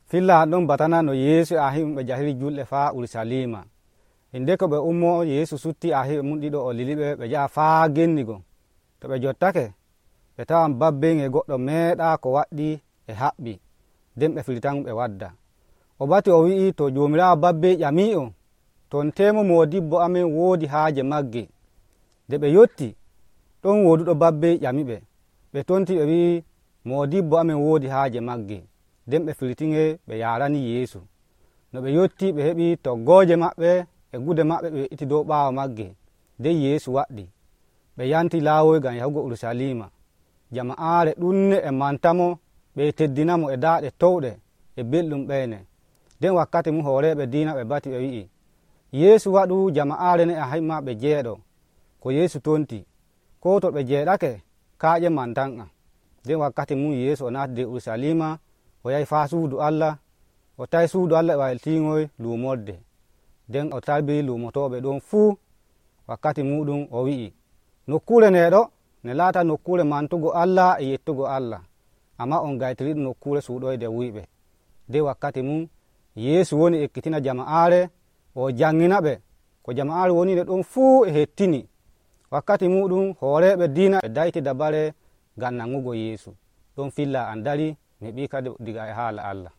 filla an ɗon batana no yeesu a hiɓe jahiri julɗe faa urusalima. Inde ko ɓe ummo yeesu sutti a hiɓe mum ɗiɗo o liliɓe ɓe njaha faa gennigo. To ɓe jottake ɓe tawan babben e goɗɗo meeɗa ko waɗɗi e haɓɓi, nden ɓe firtamo ɓe wadda. O bati o wi'i to joomiraawo babbe ƴami'o ton temo moodibbo amen woodi haaje magge. Nde ɓe yotti ɗon wooduɗo babbe ƴamiɓe, ɓe tonti ɓe wi'i moodibbo amen woodi haaje magge, nden ɓe firtiŋe ɓe yarani yeesu. No ɓe yotti ɓe heɓi toggooje maɓɓe e gude maɓɓe ɓe we'iti dow ɓaawo magge, nden yeesu waɗɗi ɓe yanti laawoy ngam yahugo urusalima. Jama'aare ɗuɗne e mantamo ɓe teddinamo e daaɗe towɗe e belɗum ɓeyne. Nden wakkati mum hooreɓe diina ɓe bati ɓe wi'i yeesu waɗu jama'aare ne a himma ɓe jeeɗo. Ko yeesu tonti ko to ɓe jeeɗake kaaƴe mantan'am. Nden wakkati mum yeesu o naati nder urusalima o yahi faa suudu Allah, o tawi suudu Allah e waltiŋoy luumorde. Nden o tabii luumotoɓe ɗon fuu. Wakkati muɗum o wi'i nokkure ndeɗo ne laata nokkure mantugo Allah e yettugo Allah, amma on gaytiriɗum nokkure suuɗoyde wuyɓe. Nden wakkati mum yeesu woni ekkitina jama'aare o janŋina ɓe, ko jama'aare woni nde ɗon fuu e hettini. Wakkati muɗum hooreɓe diina ɓe dayti dabare ngam nanŋugo yeesu. Ɗon filla an dari mi heɓi kadi diga e haala Allah.